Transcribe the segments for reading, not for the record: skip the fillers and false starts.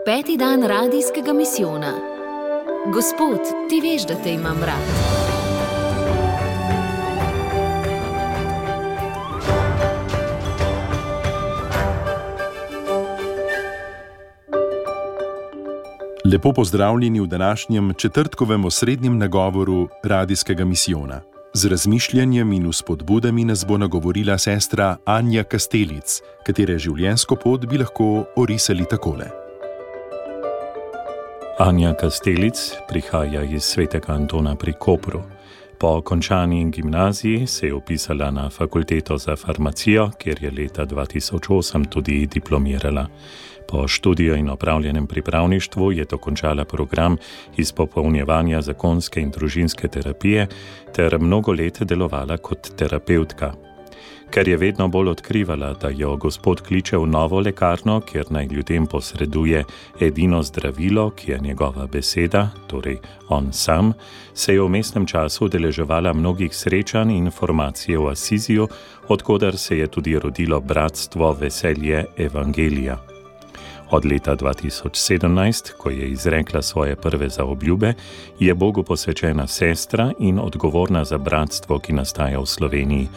5. dan radijskega misijona. Gospod, ti veš, da te imam rad. Lepo pozdravljeni v današnjem četrtkovem osrednjem nagovoru radijskega misijona. Z razmišljanjem in vzpodbudami nas bo nagovorila sestra Anja Kastelic, katere življenjsko pot bi lahko orisali takole. Anja Kastelic prihaja iz Svetega Antona pri Kopru. Po končani gimnaziji se je vpisala na fakulteto za farmacijo, kjer je leta 2008 tudi diplomirala. Po študiju in opravljenem pripravništvu je dokončala program izpopolnjevanja zakonske in družinske terapije ter mnogo let delovala kot terapevtka. Ker je vedno bolj odkrivala, da jo Gospod kliče v novo lekarno, kjer naj ljudem posreduje edino zdravilo, ki je njegova beseda, torej on sam, se je v vmesnem času udeleževala mnogih srečanj in informacij v Asiziju, odkoder se je tudi rodilo bratstvo Veselje Evangelija. Od leta 2017, ko je izrekla svoje prve zaobljube, je Bogu posvečena sestra in odgovorna za bratstvo, ki nastaja v Sloveniji.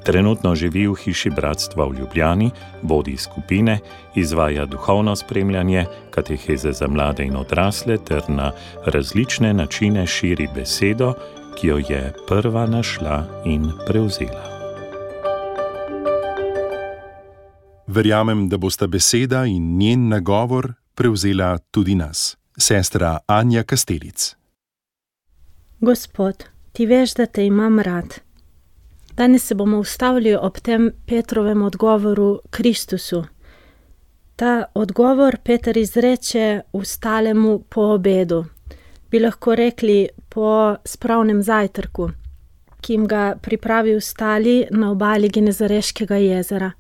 Trenutno živi v hiši bratstva v Ljubljani, vodi skupine, izvaja duhovno spremljanje, kateheze za mlade in odrasle ter na različne načine širi besedo, ki jo je prva našla in prevzela. Verjamem, da bosta beseda in njen nagovor prevzela tudi nas. Sestra Anja Kastelic. Gospod, ti veš, da te imam rad. Danes se bomo ustavili ob tem Petrovem odgovoru Kristusu. Ta odgovor Peter izreče ustalemu po obedu. Bi lahko rekli po spravnem zajtrku, ki jim ga pripravi ustali na obali Genezareškega jezera.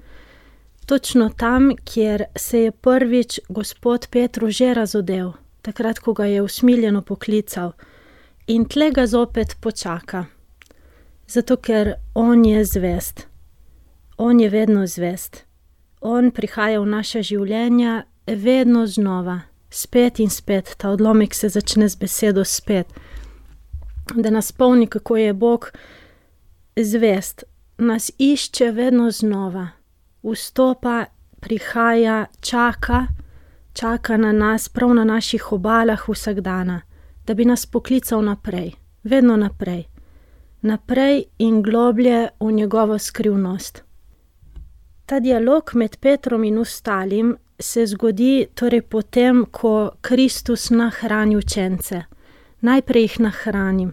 Točno tam, kjer se je prvič Gospod Petru že razodel, takrat, ko ga je usmiljeno poklical, in tle ga zopet počaka. Zato, ker on je zvest. On je vedno zvest. On prihaja v naša življenja vedno znova, spet in spet. Ta odlomek se začne z besedo spet. Da nas spomni, kako je Bog zvest. Nas išče vedno znova. Vstopa, prihaja, čaka na nas, prav na naših obalah vsak dana, da bi nas poklical naprej, vedno naprej. Naprej in globlje v njegovo skrivnost. Ta dialog med Petrom in ostalim se zgodi torej potem, ko Kristus nahrani učence. Najprej jih nahrani.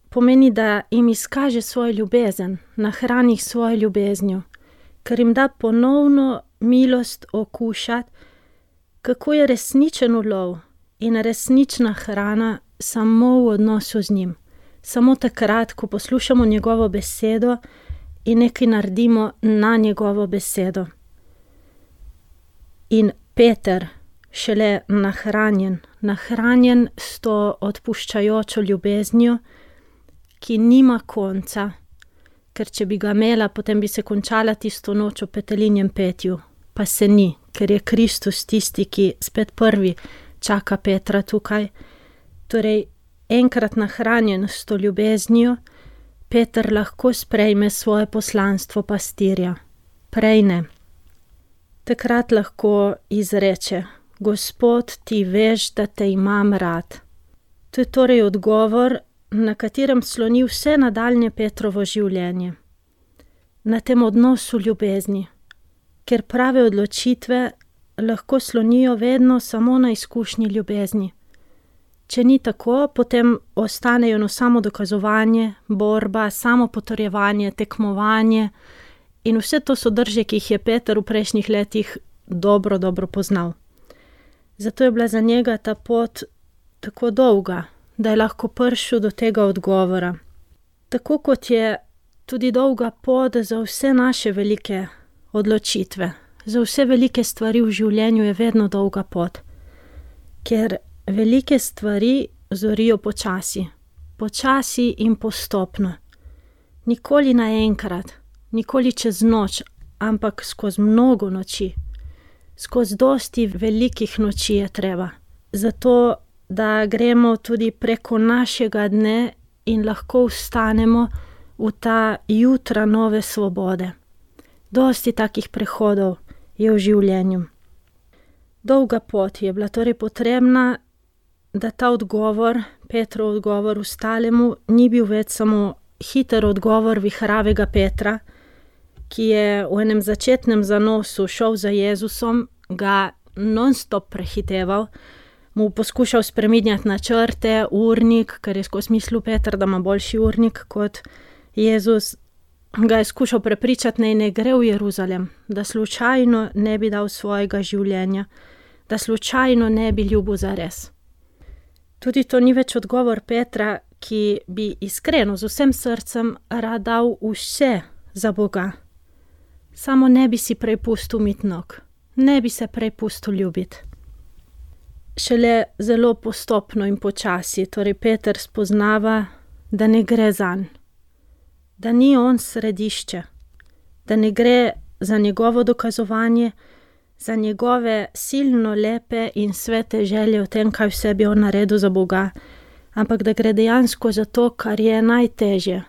Pomeni, da jim izkaže svojo ljubezen, nahrani jih svojo ljubeznjo, ker jim da ponovno milost okušati, kako je resničen ulov in resnična hrana samo v odnosu z njim. Samo takrat, ko poslušamo njegovo besedo in nekaj naredimo na njegovo besedo. In Peter, šele nahranjen s to odpuščajočo ljubeznijo, ki nima konca, ker če bi ga imela, potem bi se končala tisto noč v petelinjem petju. Pa se ni, ker je Kristus tisti, ki spet prvi čaka Petra tukaj. Torej, enkrat nahranjen s to ljubeznijo, Peter lahko sprejme svoje poslanstvo pastirja. Prej ne. Takrat lahko izreče: Gospod, ti veš, da te imam rad. To je torej odgovor, na katerem sloni vse nadaljnje Petrovo življenje. Na tem odnosu ljubezni, ker prave odločitve lahko slonijo vedno samo na izkušnji ljubezni. Če ni tako, potem ostanejo eno samo dokazovanje, borba, samo potrjevanje, tekmovanje in vse to so drže, ki jih je Peter v prejšnjih letih dobro poznal. Zato je bila za njega ta pot tako dolga, da je lahko prišel do tega odgovora. Tako kot je tudi dolga pot za vse naše velike odločitve, za vse velike stvari v življenju je vedno dolga pot, ker velike stvari zorijo počasi in postopno. Nikoli naenkrat, nikoli čez noč, ampak skozi mnogo noči. Skozi dosti velikih noči je treba. Zato, da gremo tudi preko našega dne in lahko vstanemo v ta jutra nove svobode. Dosti takih prehodov je v življenju. Dolga pot je bila torej potrebna, da ta odgovor, Petrov odgovor ustalemu, ni bil več samo hiter odgovor vihravega Petra, ki je v enem začetnem zanosu šel za Jezusom, ga non-stop prehiteval, mu poskušal spreminjati načrte, urnik, ker je skozi mislil Peter, da ima boljši urnik kot Jezus, ga je skušal prepričati, naj ne gre v Jeruzalem, da slučajno ne bi dal svojega življenja, da slučajno ne bi ljubil zares. Tudi to ni več odgovor Petra, ki bi iskreno z vsem srcem rad dal vse za Boga. Samo ne bi si prej pustil umiti nog, ne bi se prej pustil ljubiti. Šele zelo postopno in počasi, torej Peter spoznava, da ne gre zanj, da ni on središče, da ne gre za njegovo dokazovanje, za njegove silno lepe in svete želje o tem, kaj vse bi on naredil za Boga, ampak da gre dejansko za to, kar je najtežje,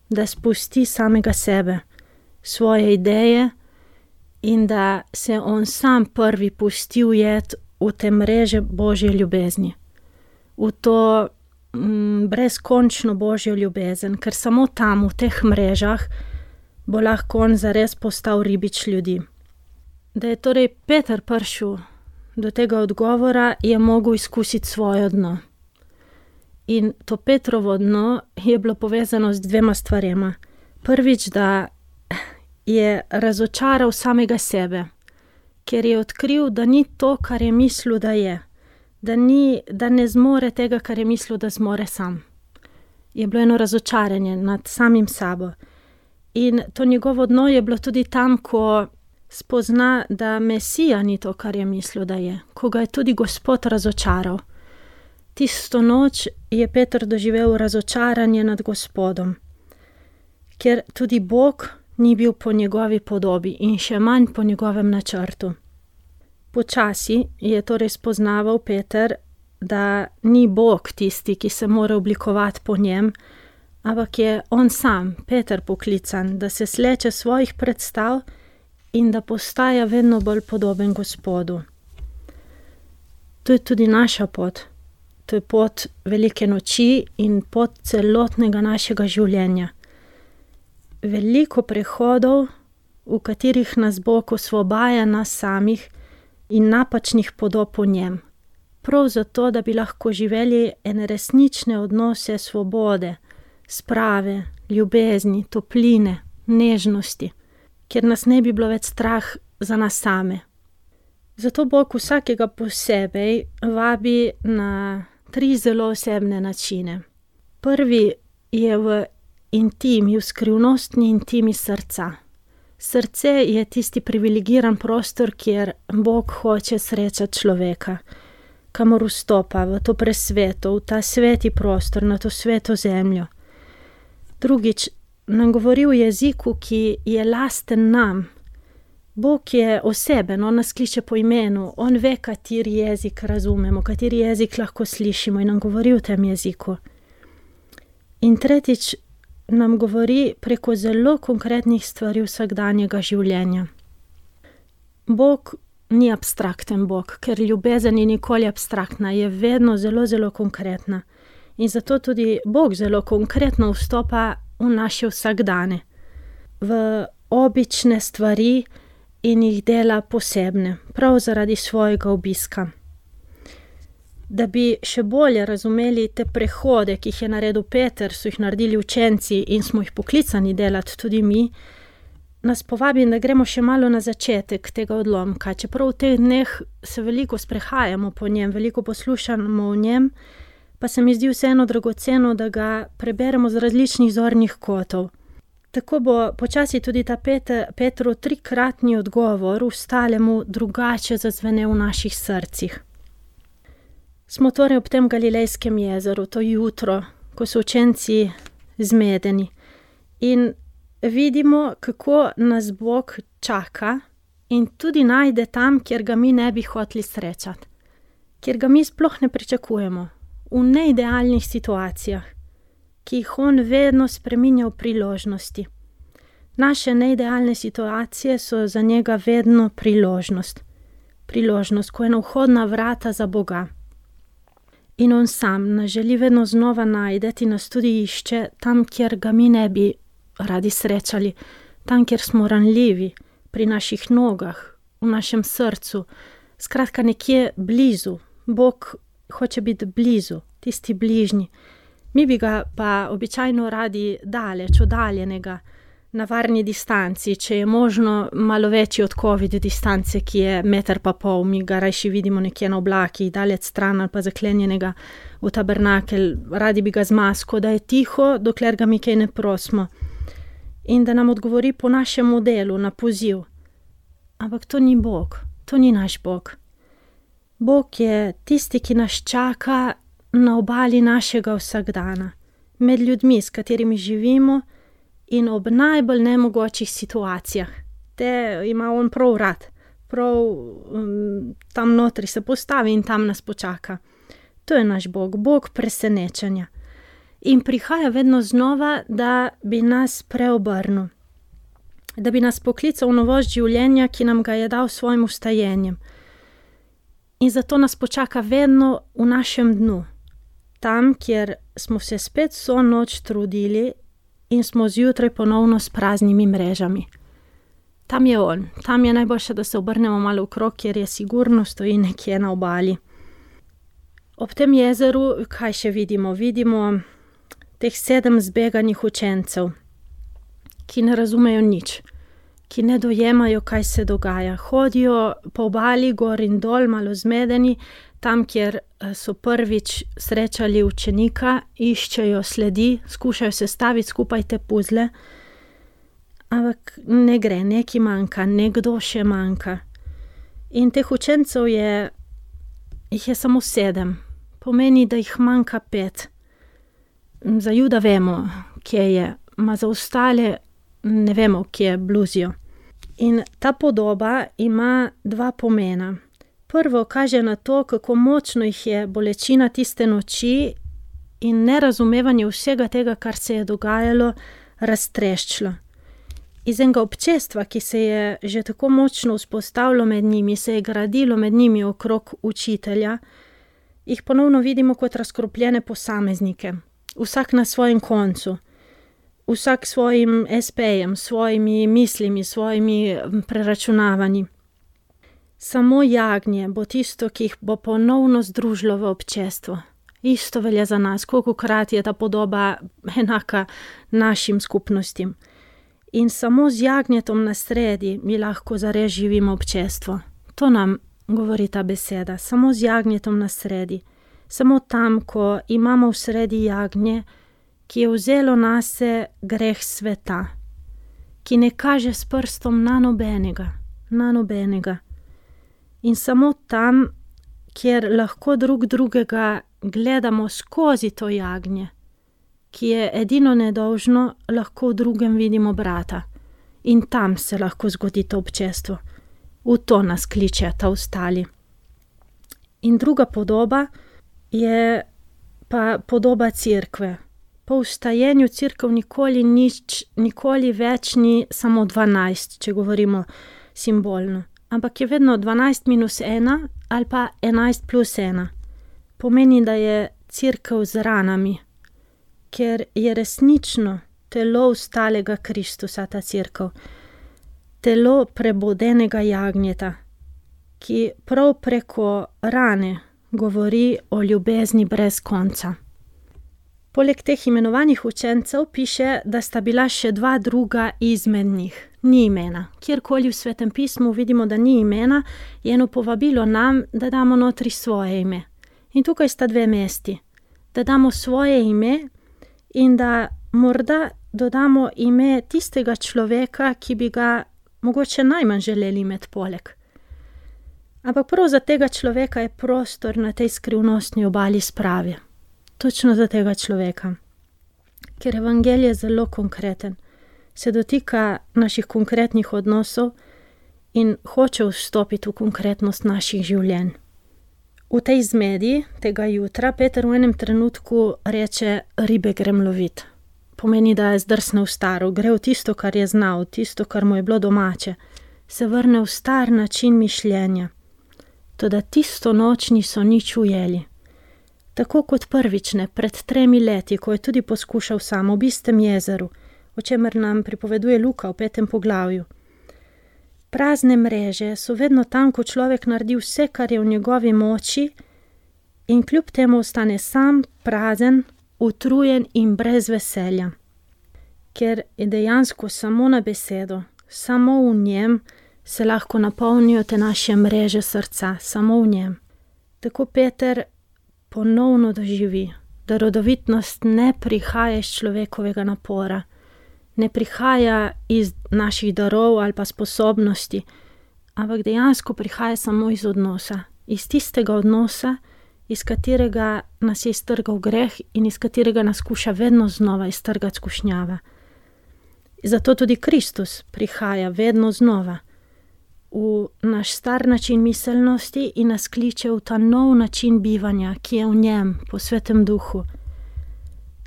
da spusti samega sebe, svoje ideje in da se on sam prvi pusti ujet v te mreže Božje ljubezni, v to brezkončno Božjo ljubezen, ker samo tam, v teh mrežah, bo lahko on zares postal ribič ljudi. Da je torej Peter prišel do tega odgovora, je mogel izkusiti svoje dno. In to Petrovo dno je bilo povezano z dvema stvarema. Prvič, da je razočaral samega sebe, ker je odkril, da ni to, kar je mislil, da je. Da ne zmore tega, kar je mislil, da zmore sam. Je bilo eno razočaranje nad samim sabo. In to njegovo dno je bilo tudi tam, ko spozna, da Mesija ni to, kar je mislil, da je. Ko ga je tudi Gospod razočaral. Tisto noč je Peter doživel razočaranje nad Gospodom, ker tudi Bog ni bil po njegovi podobi in še manj po njegovem načrtu. Počasi je torej spoznaval Peter, da ni Bog tisti, ki se mora oblikovati po njem, ampak je on sam, Peter, poklican, da se sleče svojih predstav in da postaja vedno bolj podoben Gospodu. To je tudi naša pot. To je pot velike noči in pot celotnega našega življenja. Veliko prehodov, v katerih nas Bog osvobaja nas samih in napačnih podob v njem. Prav zato, da bi lahko živeli ene resnične odnose svobode, sprave, ljubezni, topline, nežnosti, kjer nas ne bi bilo več strah za nas same. Zato Bog vsakega posebej vabi na 3 zelo osebne načine. Prvi je v intimi, v skrivnostni intimi srca. Srce je tisti privilegiran prostor, kjer Bog hoče srečati človeka, kamor vstopa v to presveto, v ta sveti prostor, na to sveto zemljo. Drugič, nam govori v jeziku, ki je lasten nam. Bog je oseben, on nas kliče po imenu, on ve, kateri jezik razumemo, kateri jezik lahko slišimo in nam govori v tem jeziku. In tretjič, nam govori preko zelo konkretnih stvari vsakdanjega življenja. Bog ni abstrakten Bog, ker ljubezen ni nikoli abstraktna, je vedno zelo, zelo konkretna. In zato tudi Bog zelo konkretno vstopa v naše vsakdane, v obične stvari in jih dela posebne, prav zaradi svojega obiska. Da bi še bolje razumeli te prehode, ki jih je naredil Peter, so jih naredili učenci in smo jih poklicani delati tudi mi, nas povabim, da gremo še malo na začetek tega odlomka. Čeprav v teh dneh se veliko sprehajamo po njem, veliko poslušamo o njem, pa se mi zdi vseeno dragoceno, da ga preberemo z različnih zornih kotov. Tako bo počasi tudi ta Petrov 3-kratni odgovor vstalemu drugače zazvenel v naših srcih. Smo torej ob tem Galilejskem jezeru, to jutro, ko so učenci zmedeni in vidimo, kako nas Bog čaka in tudi najde tam, kjer ga mi ne bi hoteli srečati, kjer ga mi sploh ne pričakujemo, v neidealnih situacijah, ki jih on vedno spreminja v priložnosti. Naše neidealne situacije so za njega vedno priložnost. Priložnost, ko je na vhodna vrata za Boga. In on sam nas želi vedno znova najdeti, nas tudi išče tam, kjer ga mi ne bi radi srečali, tam, kjer smo ranljivi, pri naših nogah, v našem srcu, skratka nekje blizu. Bog hoče biti blizu, tisti bližnji. Mi bi ga pa običajno radi daleč, oddaljenega, na varni distanci, če je možno malo večji od COVID distance, ki je 1,5 metra, mi ga rajši vidimo nekje na oblaki, daleč stran ali pa zaklenjenega v tabernakelj, radi bi ga z masko, da je tiho, dokler ga mi kaj ne prosimo. In da nam odgovori po našem modelu, na poziv. Ampak to ni Bog, to ni naš Bog. Bog je tisti, ki nas čaka na obali našega vsakdana, med ljudmi, s katerimi živimo, in ob najbolj nemogočih situacijah. Te ima on prav rad, prav tam notri se postavi in tam nas počaka. To je naš Bog, Bog presenečenja. In prihaja vedno znova, da bi nas preobrnil, da bi nas poklical v novost življenja, ki nam ga je dal s svojim vstajenjem. In zato nas počaka vedno v našem dnu, tam, kjer smo se spet vso noč trudili in smo zjutraj ponovno s praznimi mrežami. Tam je on, tam je najboljše, da se obrnemo malo okrog, kjer je sigurno, stoji nekje na obali. Ob tem jezeru, kaj še vidimo? Vidimo teh 7 zbeganih učencev, ki ne razumejo nič, ki ne dojemajo, kaj se dogaja. Hodijo po obali, gor in dol, malo zmedeni, tam, kjer so prvič srečali učenika, iščejo sledi, skušajo sestaviti skupaj te puzle, ampak ne gre, nekaj manjka, nekdo še manjka. In teh učencev jih je samo 7, pomeni, da jih manjka 5. Za Juda vemo, kje je, ma za ostale ne vemo, kje bluzijo. In ta podoba ima 2 pomena. Prvo kaže na to, kako močno jih je bolečina tiste noči in nerazumevanje vsega tega, kar se je dogajalo, raztreščilo. Iz enega občestva, ki se je že tako močno vzpostavilo med njimi, se je gradilo med njimi okrog učitelja, jih ponovno vidimo kot razkropljene posameznike. Vsak na svojem koncu, vsak svojim SP-jem, svojimi mislimi, svojimi preračunavanji. Samo jagnje bo tisto, ki jih bo ponovno združilo v občestvo. Isto velja za nas, kolikokrat je ta podoba enaka našim skupnostim. In samo z jagnjetom na sredi mi lahko zares živimo občestvo. To nam govori ta beseda, samo z jagnjetom na sredi. Samo tam, ko imamo v sredi jagnje, ki je vzelo nase greh sveta, ki ne kaže s prstom na nobenega. In samo tam, kjer lahko drug drugega gledamo skozi to jagnje, ki je edino nedolžno, lahko v drugem vidimo brata. In tam se lahko zgodi to občestvo. V to nas kliče ta ostali. In druga podoba je pa podoba cerkve. Po vstajenju cerkev nikoli več ni samo 12, če govorimo simbolno. Ampak je vedno 12 minus 1 ali pa 11 plus 1. Pomeni, da je cerkev z ranami, ker je resnično telo vstalega Kristusa, ta cerkev. Telo prebudenega jagnjeta, ki prav preko rane govori o ljubezni brez konca. Poleg teh imenovanih učencev piše, da sta bila še 2 druga izmed njih. Ni imena. Kjerkoli v Svetem pismu vidimo, da ni imena, je eno povabilo nam, da damo notri svoje ime. In tukaj sta 2 mesti. Da damo svoje ime in da morda dodamo ime tistega človeka, ki bi ga mogoče najmanj želeli imeti poleg. Ampak prav za tega človeka je prostor na tej skrivnostni obali sprave. Točno za tega človeka. Ker evangelij je zelo konkreten, se dotika naših konkretnih odnosov in hoče vstopiti v konkretnost naših življenj. V tej zmedi tega jutra Peter v enem trenutku reče: ribe grem lovit. Pomeni, da je zdrsnil v staro, gre v tisto, kar je znal, tisto, kar mu je bilo domače. Se vrne v star način mišljenja. Toda tisto noč niso nič ujeli. Tako kot prvič ne, pred 3 leti, ko je tudi poskušal sam ob istem jezeru, o čemer nam pripoveduje Luka v 5. poglavju. Prazne mreže so vedno tam, ko človek naredi vse, kar je v njegovi moči, in kljub temu ostane sam, prazen, utrujen in brez veselja. Ker je dejansko samo na besedo, samo v njem se lahko napolnijo te naše mreže srca, samo v njem. Tako Peter ponovno doživi, da rodovitnost ne prihaja iz človekovega napora, ne prihaja iz naših darov ali pa sposobnosti, ampak dejansko prihaja samo iz odnosa. Iz tistega odnosa, iz katerega nas je iztrgal greh in iz katerega nas skuša vedno znova iztrgati skušnjava. Zato tudi Kristus prihaja vedno znova v naš star način miselnosti in nas kliče v ta nov način bivanja, ki je v njem, po Svetem Duhu.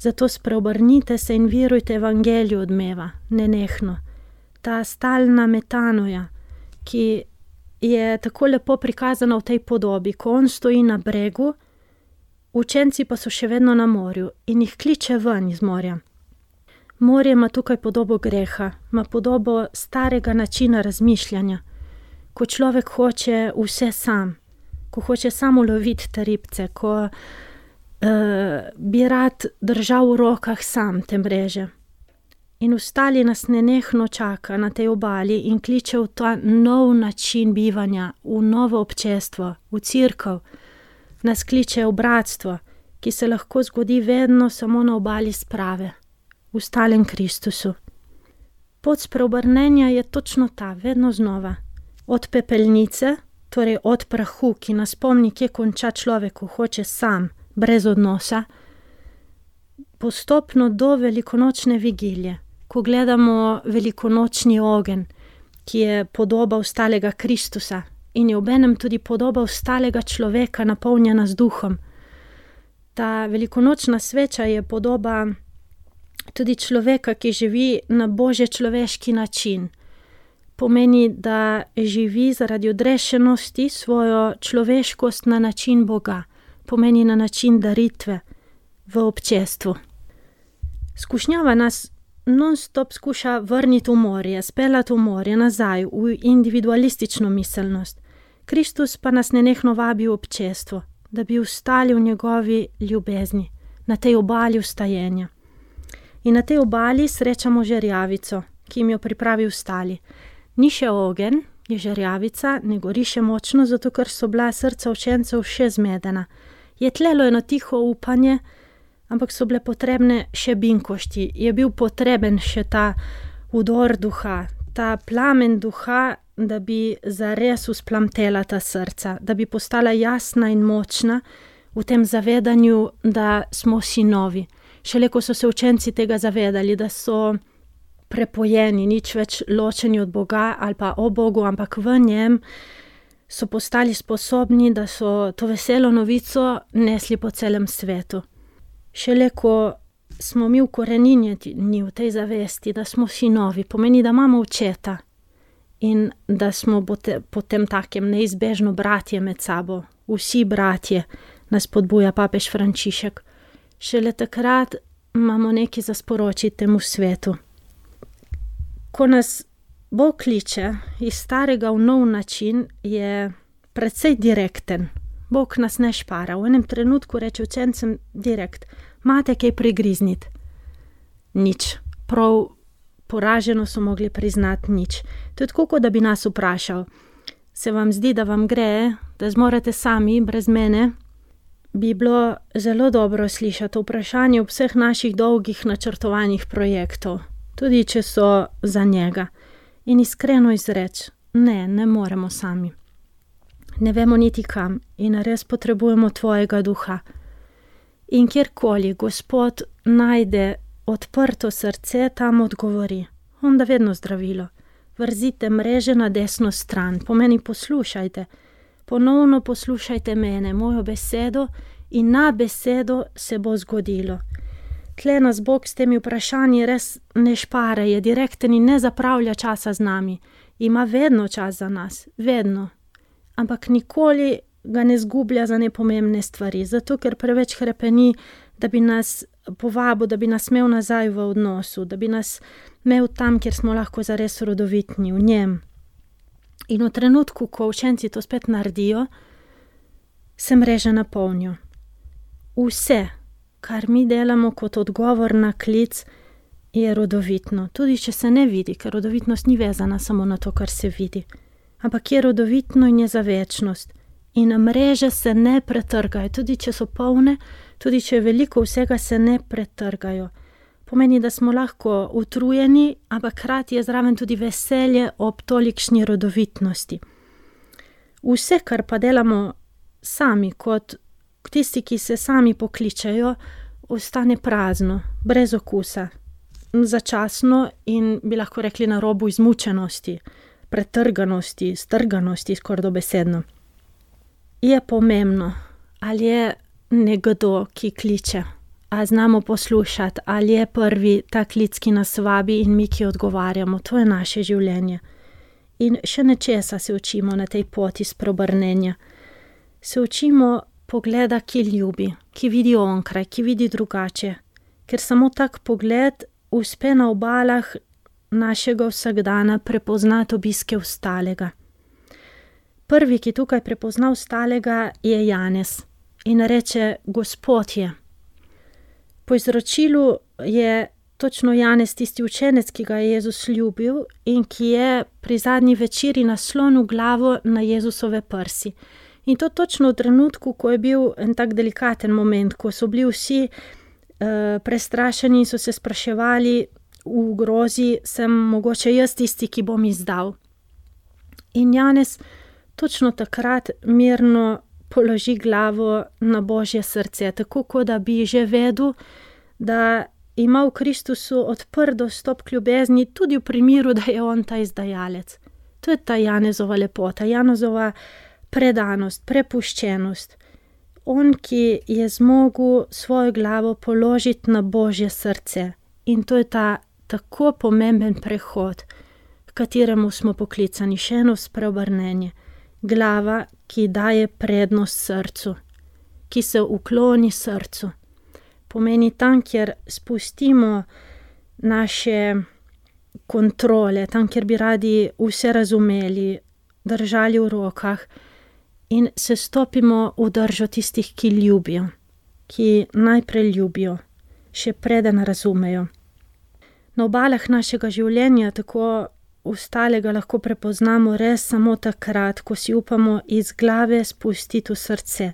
Zato spreobrnite se in verujte evangeliju odmeva, nenehno. Ta stalna metanoja, ki je tako lepo prikazana v tej podobi, ko on stoji na bregu, učenci pa so še vedno na morju in jih kliče ven iz morja. Morje ima tukaj podobo greha, ima podobo starega načina razmišljanja, ko človek hoče vse sam, ko hoče samo loviti te ribce, ko bi rad držal v rokah sam te mreže. In ostali nas nenehno čaka na tej obali in kliče v ta nov način bivanja, v novo občestvo, v cerkev. Nas kliče v bratstvo, ki se lahko zgodi vedno samo na obali sprave, v stalem Kristusu. Pot spreobrnenja je točno ta, vedno znova. Od pepelnice, torej od prahu, ki nas spomni, kje konča človek, ko hoče sam, brez odnosa, postopno do velikonočne vigilije, ko gledamo velikonočni ogenj, ki je podoba ostalega Kristusa in je obenem tudi podoba ostalega človeka, napolnjena z duhom. Ta velikonočna sveča je podoba tudi človeka, ki živi na božje človeški način. Pomeni, da živi zaradi odrešenosti svojo človeškost na način Boga. Pomeni na način daritve v občestvu. Skušnjava nas non-stop skuša vrniti v morje, speljati v morje, nazaj, v individualistično miselnost. Kristus pa nas nenehno vabi v občestvo, da bi ostali v njegovi ljubezni, na tej obali vstajenja. In na tej obali srečamo žerjavico, ki jim jo pripravi ostali. Ni še ogenj, je žerjavica, ne gori še močno, zato ker so bila srca učencev še zmedena. Je tlelo eno tiho upanje, ampak so bile potrebne še binkošti. Je bil potreben še ta udor duha, ta plamen duha, da bi zares usplamtela ta srca, da bi postala jasna in močna v tem zavedanju, da smo sinovi. Šele ko so se učenci tega zavedali, da so prepojeni, nič več ločeni od Boga ali pa o Bogu, ampak v njem, so postali sposobni, da so to veselo novico nesli po celem svetu. Šele ko smo mi ukoreninjeni v tej zavesti, da smo sinovi, pomeni, da imamo očeta in da smo potem takem neizbežno bratje med sabo. Vsi bratje, nas podbuja papež Frančišek. Šele takrat imamo nekaj za sporočiti temu svetu. Ko nas Bog kliče iz starega v nov način, je precej direkten. Bog nas ne špara. V enem trenutku reče učencem direkt: imate kaj prigrizniti? Nič. Prav poraženo so mogli priznati nič. To je tako, da bi nas vprašal: se vam zdi, da vam gre, da zmorete sami, brez mene? Bi bilo zelo dobro slišati vprašanje ob vseh naših dolgih načrtovanih projektov, tudi če so za njega. In iskreno izreči: ne moremo sami. Ne vemo niti kam in res potrebujemo tvojega duha. In kjerkoli Gospod najde odprto srce, tam odgovori. On da vedno zdravilo. Vrzite mreže na desno stran, pomeni poslušajte. Ponovno poslušajte mene, mojo besedo in na besedo se bo zgodilo. Tle nas Bog s temi vprašanji res ne špara, je direkten in ne zapravlja časa z nami. Ima vedno čas za nas, vedno. Ampak nikoli ga ne zgublja za nepomembne stvari, zato ker preveč hrepeni, da bi nas povabil, da bi nas imel nazaj v odnosu, da bi nas imel tam, kjer smo lahko zares rodovitni, v njem. In v trenutku, ko učenci to spet naredijo, se mreže napolnijo. Vse, kar mi delamo kot odgovor na klic, je rodovitno. Tudi če se ne vidi, ker rodovitnost ni vezana samo na to, kar se vidi. Ampak je rodovitno in je za večnost. In mreže se ne pretrgajo, tudi če so polne, tudi če je veliko vsega, se ne pretrgajo. Pomeni, da smo lahko utrujeni, ampak hkrati je zraven tudi veselje ob tolikšni rodovitnosti. Vse, kar pa delamo sami, kot tisti, ki se sami pokličejo, ostane prazno, brez okusa, začasno in bi lahko rekli na robu izmučenosti, pretrganosti, strganosti, skoraj dobesedno. Je pomembno, ali je nekdo, ki kliče, a znamo poslušati, ali je prvi ta klic, ki nas vabi in mi, ki odgovarjamo. To je naše življenje. In še nečesa se učimo na tej poti spreobrnenja. Se učimo pogleda, ki ljubi, ki vidi onkraj, ki vidi drugače. Ker samo tak pogled uspe na obalah našega vsakdana prepoznati obiske ostalega. Prvi, ki tukaj prepozna ostalega, je Janez in reče: Gospod je. Po izročilu je točno Janez tisti učenec, ki ga je Jezus ljubil in ki je pri zadnji večeri naslonil glavo na Jezusove prsi. In to točno v trenutku, ko je bil en tak delikaten moment, ko so bili vsi prestrašeni in so se spraševali v grozi, sem mogoče jaz tisti, ki bom izdal. In Janez točno takrat mirno položi glavo na Božje srce, tako kot da bi že vedel, da ima v Kristusu odprt dostop k ljubezni, tudi v primeru, da je on ta izdajalec. To je ta Janezova lepota, Janezova predanost, prepuščenost. On, ki je zmogel svojo glavo položiti na Božje srce. In to je ta tako pomemben prehod, k kateremu smo poklicani, še eno spreobrnenje. Glava, ki daje prednost srcu, ki se ukloni srcu. Pomeni tam, kjer spustimo naše kontrole, tam, kjer bi radi vse razumeli, držali v rokah in se stopimo v držo tistih, ki ljubijo, ki najprej ljubijo, še preden razumejo. Na obalah našega življenja tako ostalega lahko prepoznamo res samo takrat, ko si upamo iz glave spustiti v srce.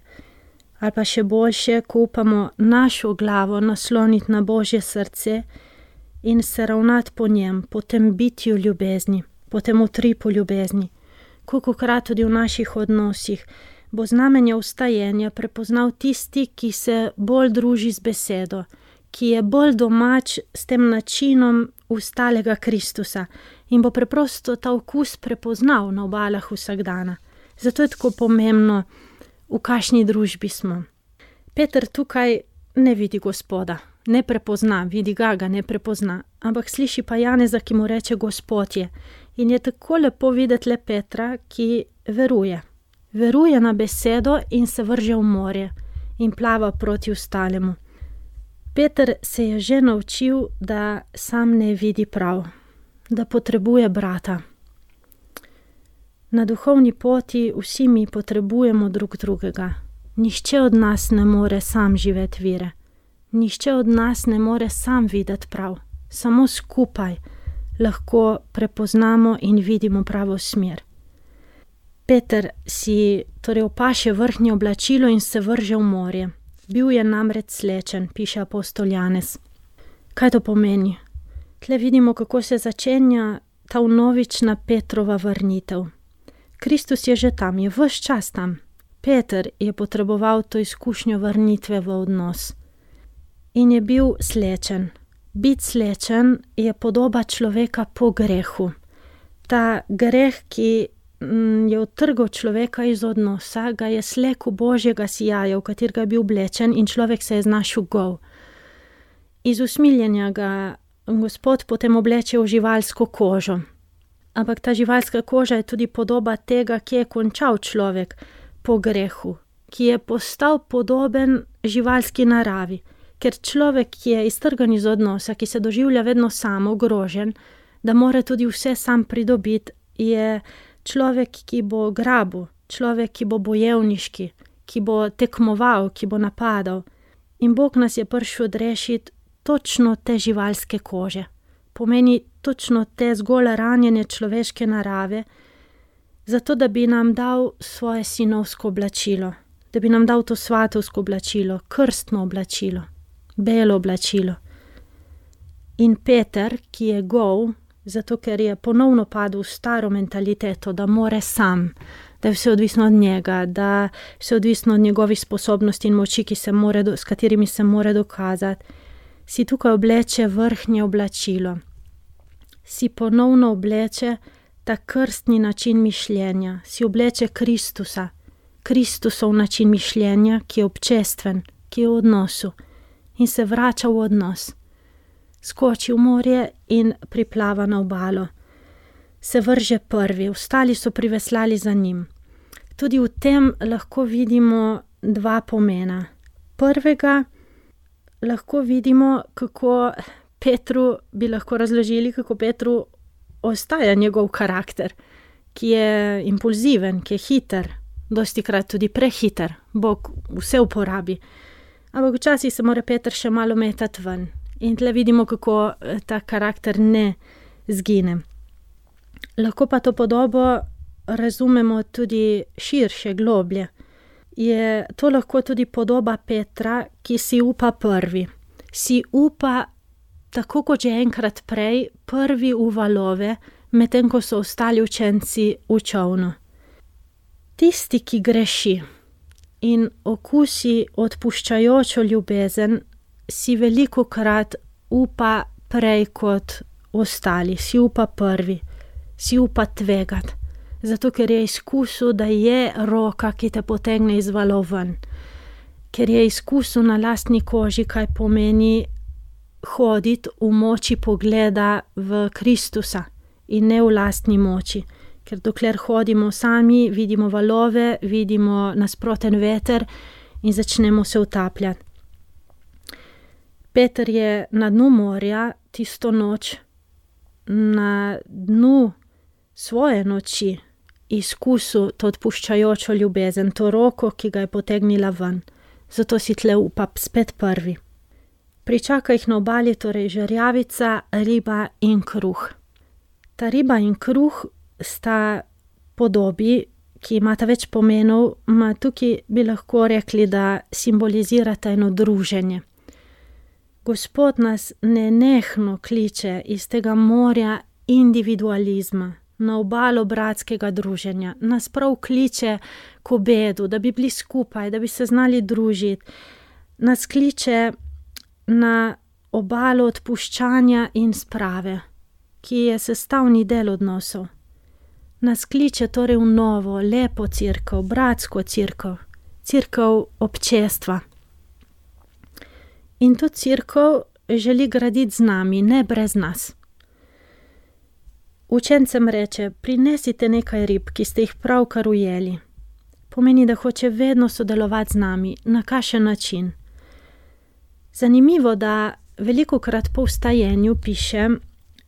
Ali pa še boljše, ko upamo našo glavo nasloniti na Božje srce in se ravnati po njem, po tem bitju ljubezni, po tem utripu ljubezni. Kolikokrat tudi v naših odnosih bo znamenje vstajenja prepoznal tisti, ki se bolj druži z besedo, ki je bolj domač s tem načinom vstalega Kristusa in bo preprosto ta okus prepoznal na obalah vsakdana. Zato je tako pomembno, v kakšni družbi smo. Peter tukaj ne vidi Gospoda, ne prepozna, vidi ga ne prepozna, ampak sliši pa Janeza, ki mu reče Gospod je. In je tako lepo videti le Petra, ki veruje. Veruje na besedo in se vrže v morje in plava proti ostalemu. Peter se je že naučil, da sam ne vidi prav, da potrebuje brata. Na duhovni poti vsi mi potrebujemo drug drugega. Nihče od nas ne more sam živeti vire. Nihče od nas ne more sam videti prav. Samo skupaj lahko prepoznamo in vidimo pravo smer. Peter si torej opaše vrhnje oblačilo in se vrže v morje. Bil je namreč slečen, piše apostol Janez. Kaj to pomeni? Tle vidimo, kako se začenja ta vnovična Petrova vrnitev. Kristus je že tam, je ves čas tam. Peter je potreboval to izkušnjo vrnitve v odnos. In je bil slečen. Biti slečen je podoba človeka po grehu. Ta greh, ki je odtrgal človeka iz odnosa, ga je slekel Božjega sijaja, v katerega je bil oblečen, in človek se je znašel gol. Iz usmiljenja ga Gospod potem obleče v živalsko kožo. Ampak ta živalska koža je tudi podoba tega, ki je končal človek po grehu, ki je postal podoben živalski naravi. Ker človek, ki je iztrgan iz odnosa, ki se doživlja vedno sam, ogrožen, da mora tudi vse sam pridobiti, je človek, ki bo grabil, človek, ki bo bojevniški, ki bo tekmoval, ki bo napadal. In Bog nas je prišel odrešiti točno te živalske kože. Pomeni točno te zgolj ranjene človeške narave, zato da bi nam dal svoje sinovsko oblačilo, da bi nam dal to svatovsko oblačilo, krstno oblačilo, belo oblačilo. In Peter, ki je gol, zato ker je ponovno padel v staro mentaliteto, da more sam, da je vse odvisno od njega, da je vse odvisno od njegovih sposobnosti in moči, s katerimi se more dokazati, si tukaj obleče vrhnje oblačilo. Si ponovno obleče ta krstni način mišljenja, si obleče Kristusa, Kristusov način mišljenja, ki je občestven, ki je v odnosu in se vrača v odnos. Skoči v morje in priplava na obalo. Se vrže prvi, ostali so priveslali za njim. Tudi v tem lahko vidimo dva pomena. Prvega lahko vidimo, kako Petru bi lahko razložili, kako Petru ostaja njegov karakter, ki je impulziven, ki je hiter, dostikrat tudi prehiter. Bog vse uporabi. Ampak včasih se mora Peter še malo metati ven. In tle vidimo, kako ta karakter ne zgine. Lahko pa to podobo razumemo tudi širše, globlje. Je to lahko tudi podoba Petra, ki si upa prvi. Si upa, tako kot že enkrat prej, prvi v valove, medtem ko so ostali učenci v čolnu. Tisti, ki greši in okusi odpuščajočo ljubezen, si velikokrat upa prej kot ostali, si upa prvi, si upa tvegati, zato ker je izkusil, da je roka, ki te potegne iz valov ven, ker je izkusil na lastni koži, kaj pomeni hoditi v moči pogleda v Kristusa in ne v lastni moči, ker dokler hodimo sami, vidimo valove, vidimo nasproten veter in začnemo se utapljati. Peter je na dnu morja tisto noč, na dnu svoje noči izkusil to odpuščajočo ljubezen, to roko, ki ga je potegnila ven. Zato si tle upa spet prvi. Pričaka jih na obali torej žerjavica, riba in kruh. Ta riba in kruh sta podobi, ki imata več pomenov, tukaj bi lahko rekli, da simbolizirata eno druženje. Gospod nas nenehno kliče iz tega morja individualizma na obalo bratskega druženja. Nas prav kliče k obedu, da bi bili skupaj, da bi se znali družiti. Nas kliče na obalo odpuščanja in sprave, ki je sestavni del odnosov. Nas kliče torej v novo, lepo cerkev, bratsko cerkev, cerkev občestva. In to cerkev želi graditi z nami, ne brez nas. Učencem reče, prinesite nekaj rib, ki ste jih pravkar ujeli. Pomeni, da hoče vedno sodelovati z nami, na kakšen način. Zanimivo, da velikokrat po vstajenju piše,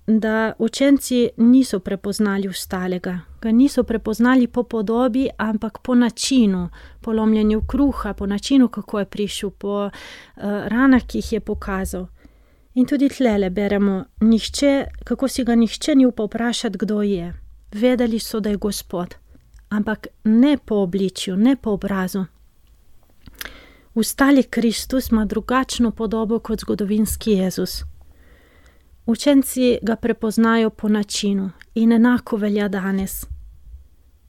da učenci niso prepoznali vstalega. Ga niso prepoznali po podobi, ampak po načinu, po lomljenju kruha, po načinu, kako je prišel, po ranah, ki jih je pokazal. In tudi tlele beremo, kako si ga nihče ni upal vprašati, kdo je. Vedeli so, da je Gospod, ampak ne po obličju, ne po obrazu. Vstali Kristus ima drugačno podobo kot zgodovinski Jezus. Učenci ga prepoznajo po načinu in enako velja danes.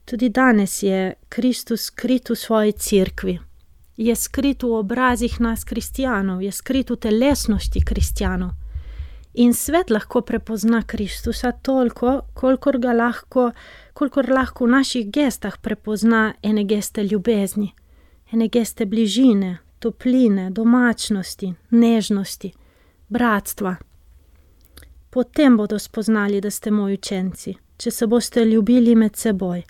Tudi danes je Kristus skrit v svoji cerkvi. Je skrit v obrazih nas kristijanov, je skrit v telesnosti kristijanov. In svet lahko prepozna Kristusa toliko, kolikor lahko v naših gestah prepozna ene geste ljubezni, ene geste bližine, topline, domačnosti, nežnosti, bratstva. Potem bodo spoznali, da ste moji učenci, če se boste ljubili med seboj.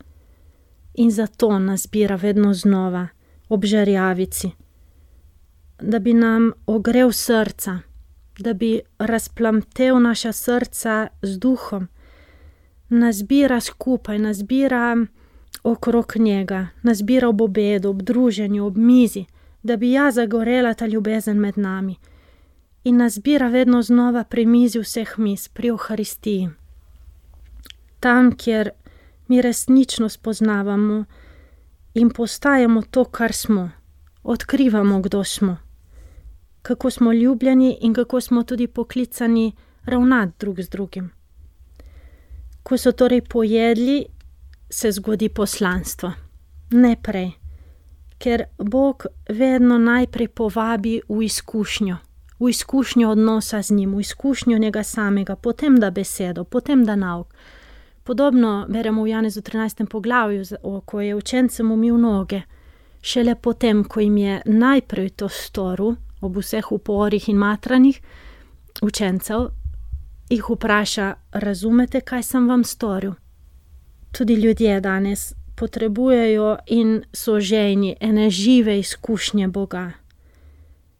In zato nas bira vedno znova, ob žerjavici, da bi nam ogrel srca, da bi razplamtel naša srca z duhom, nas bira skupaj, nas bira okrog njega, nas bira ob obedu, ob druženju, ob mizi, da bi zagorela ta ljubezen med nami. In nas bira vedno znova pri mizi vseh mis, pri Euharistiji. Tam, kjer mi resnično spoznavamo in postajamo to, kar smo, odkrivamo, kdo smo, kako smo ljubljeni in kako smo tudi poklicani ravnati drug z drugim. Ko so torej pojedli, se zgodi poslanstvo. Ne prej, ker Bog vedno najprej povabi v izkušnjo odnosa z njim, v izkušnjo njega samega, potem da besedo, potem da nauk. Podobno beremo v Janezu 13. poglavju, ko je učencem umil noge. Šele potem, ko jim je najprej to storil, ob vseh uporih in matranjih učencev, jih vpraša, razumete, kaj sem vam storil? Tudi ljudje danes potrebujejo in so žejni ene žive izkušnje Boga.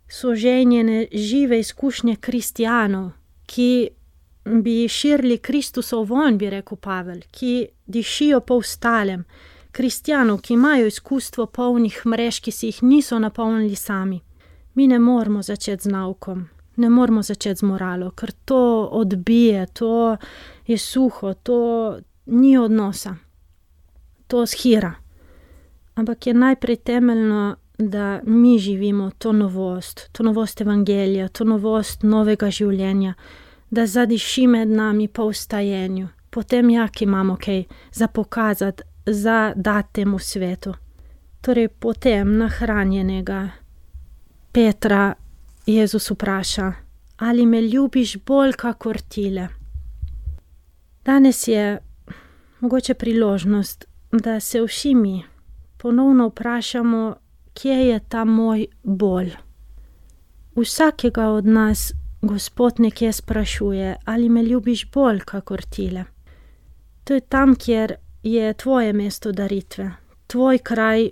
So žejni ene žive izkušnje kristijanov, ki bi širili Kristusov vonj, bi rekel Pavel, ki dišijo po ostalem, kristijanov, ki imajo izkustvo polnih mrež, ki si jih niso napolnili sami. Mi ne moramo začeti z naukom, ne moramo začeti z moralo, ker to odbije, to je suho, to ni odnosa, to shira. Ampak je najprej temeljno, da mi živimo to novost evangelija, to novost novega življenja, da zadiši med nami po vstajenju, potem ki imamo kaj za pokazati, za dati temu svetu. Torej potem nahranjenega Petra Jezus vpraša, ali me ljubiš bolj kakor tile? Danes je mogoče priložnost, da se vsi mi ponovno vprašamo, kje je ta moj bolj. Vsakega od nas Gospod nekje sprašuje, ali me ljubiš bolj kakor tile. To je tam, kjer je tvoje mesto daritve, tvoj kraj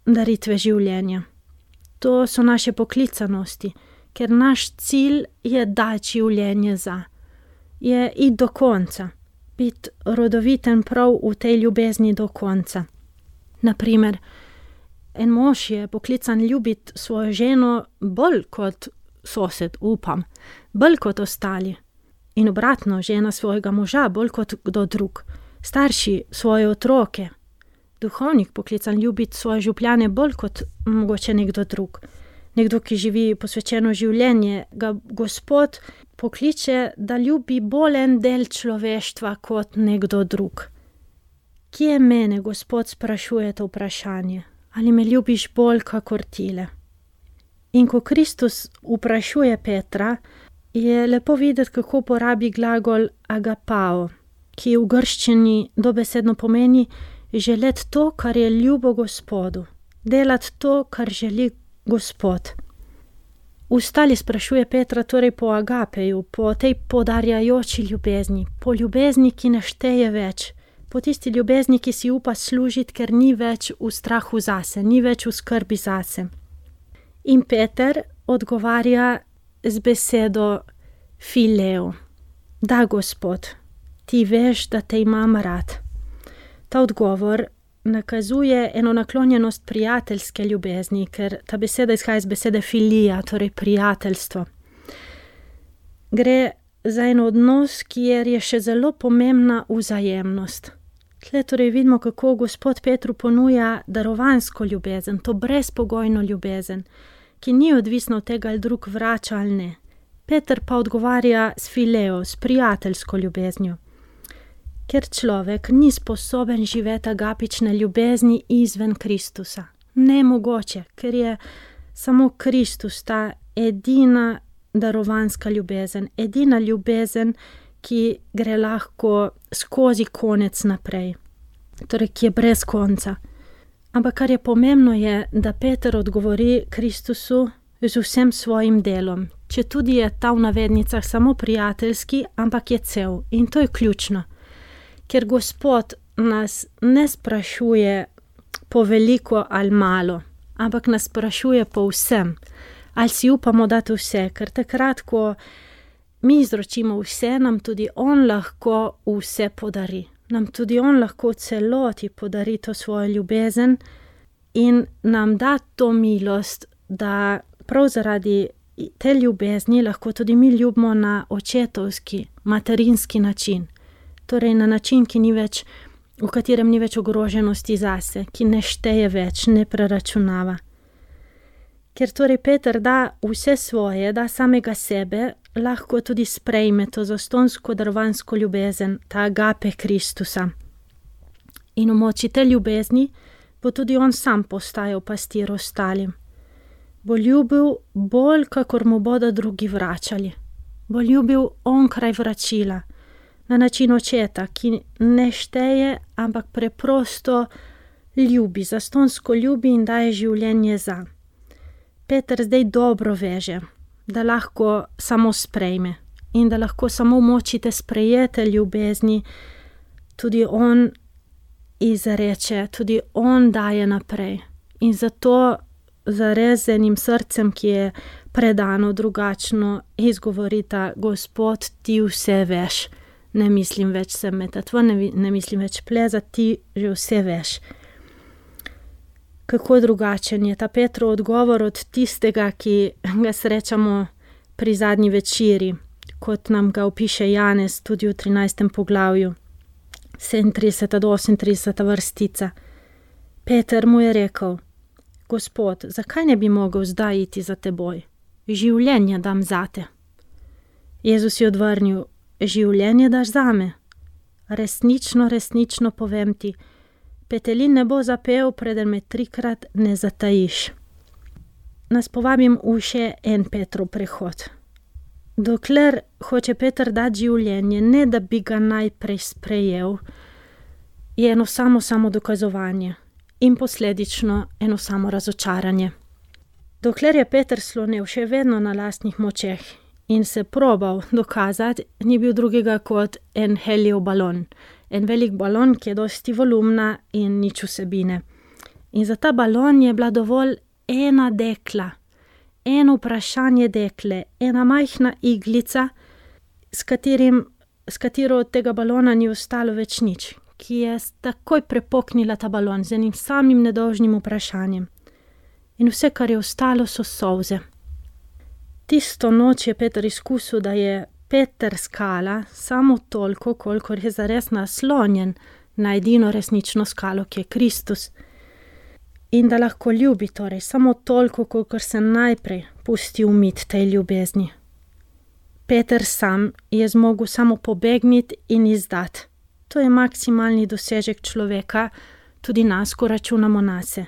daritve življenja. To so naše poklicanosti, ker naš cilj je dati življenje je iti do konca, biti rodoviten prav v tej ljubezni do konca. Naprimer, en mož je poklican ljubiti svojo ženo bolj kot sosed, upam, bolj kot ostali. In obratno, žena svojega moža bolj kot kdo drug, starši svoje otroke. Duhovnik poklican ljubiti svoje župljane bolj kot mogoče nekdo drug. Nekdo, ki živi posvečeno življenje, ga Gospod pokliče, da ljubi bolj en del človeštva kot nekdo drug. Kje mene Gospod sprašuje to vprašanje? Ali me ljubiš bolj kakor tile? In ko Kristus vprašuje Petra, je lepo videti, kako uporabi glagol agapao, ki v grščini dobesedno pomeni želeti to, kar je ljubo Gospodu, delati to, kar želi Gospod. Ustali sprašuje Petra torej po agapeju, po tej podarjajoči ljubezni, po ljubezni, ki ne šteje več, po tisti ljubezni, ki si upa služiti, ker ni več v strahu zase, ni več v skrbi zase. In Peter odgovarja z besedo fileo. Da, Gospod, ti veš, da te imam rad. Ta odgovor nakazuje eno naklonjenost prijateljske ljubezni, ker ta beseda izhaja iz besede filija, torej prijateljstvo. Gre za en odnos, kjer je še zelo pomembna vzajemnost. Tle torej vidimo, kako Gospod Petru ponuja darovansko ljubezen, to brezpogojno ljubezen, ki ni odvisna od tega, ali drug vrača ali ne. Peter pa odgovarja s fileo, s prijateljsko ljubeznijo. Ker človek ni sposoben živeti agapične ljubezni izven Kristusa. Nemogoče, ker je samo Kristus ta edina darovanska ljubezen, edina ljubezen, ki gre lahko skozi konec naprej, torej ki je brez konca. Ampak kar je pomembno je, da Peter odgovori Kristusu z vsem svojim delom, če tudi je ta v navednicah samo prijateljski, ampak je cel. In to je ključno, ker Gospod nas ne sprašuje po veliko ali malo, ampak nas sprašuje po vsem. Ali si upamo dati vse, ker takrat, ko mi izročimo vse, nam tudi on lahko vse podari. Nam tudi on lahko celoti podari to svojo ljubezen in nam da to milost, da prav zaradi te ljubezni lahko tudi mi ljubimo na očetovski, materinski način. Torej na način, v katerem ni več ogroženosti zase, ki ne šteje več, ne preračunava. Ker torej Peter da vse svoje, da samega sebe, lahko tudi sprejme to zastonsko darovansko ljubezen, ta agape Kristusa. In v moči te ljubezni bo tudi on sam postajal pastir ostalim. Bo ljubil bolj, kakor mu bodo drugi vračali. Bo ljubil onkraj vračila, na način očeta, ki ne šteje, ampak preprosto ljubi, zastonsko ljubi in daje življenje za. Peter zdaj dobro veže, da lahko samo sprejme in da lahko samo v moči te sprejete ljubezni tudi on izreče, tudi on daje naprej. In zato zares z enim srcem, ki je predano, drugačno, izgovorita: Gospod, ti vse veš. Ne mislim več se metati, ne mislim več plezati, ti že vse veš. Kako drugačen je ta Petrov odgovor od tistega, ki ga srečamo pri zadnji večeri, kot nam ga opiše Janez tudi v 13. poglavju, 37. do 38. vrstica. Peter mu je rekel: Gospod, zakaj ne bi mogel zdaj iti za teboj? Življenje dam zate. Jezus je odvrnil: življenje daš zame? Resnično, resnično povem ti, petelin ne bo zapel, preden me 3-krat ne zatajiš. Nas povabim v še en Petrov prehod. Dokler hoče Peter dati življenje, ne da bi ga najprej sprejel, je eno samo dokazovanje in posledično eno samo razočaranje. Dokler je Peter slonel še vedno na lastnih močeh in se probal dokazati, ni bil drugega kot en helijev balon. En velik balon, ki je dosti volumna in nič vsebine. In za ta balon je bila dovolj ena dekla, eno vprašanje dekle, ena majhna iglica, s katero od tega balona ni ostalo več nič, ki je takoj prepoknila ta balon z enim samim nedolžnim vprašanjem. In vse, kar je ostalo, so solze. Tisto noč je Peter izkusil, da je Peter skala samo toliko, kolikor je zares naslonjen na edino resnično skalo, ki je Kristus. In da lahko ljubi torej samo toliko, kolikor se najprej pusti umiti tej ljubezni. Peter sam je zmogel samo pobegniti in izdati. To je maksimalni dosežek človeka, tudi nas, ko računamo nase.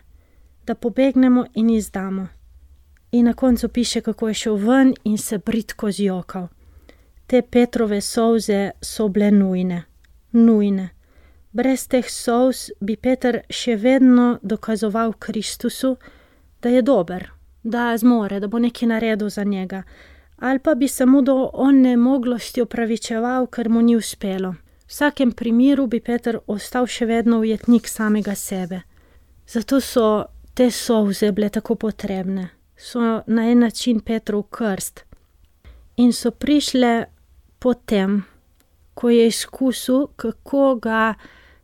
Da pobegnemo in izdamo. In na koncu piše, kako je šel ven in se bridko zjokal. Te Petrove solze so bile nujne. Brez teh solz bi Peter še vedno dokazoval Kristusu, da je dober, da zmore, da bo nekaj naredil za njega, ali pa bi se mu do onemoglosti opravičeval, ker mu ni uspelo. V vsakem primeru bi Peter ostal še vedno ujetnik samega sebe. Zato so te solze bile tako potrebne. So na en način Petrov krst. In so prišle potem, ko je izkusil, kako ga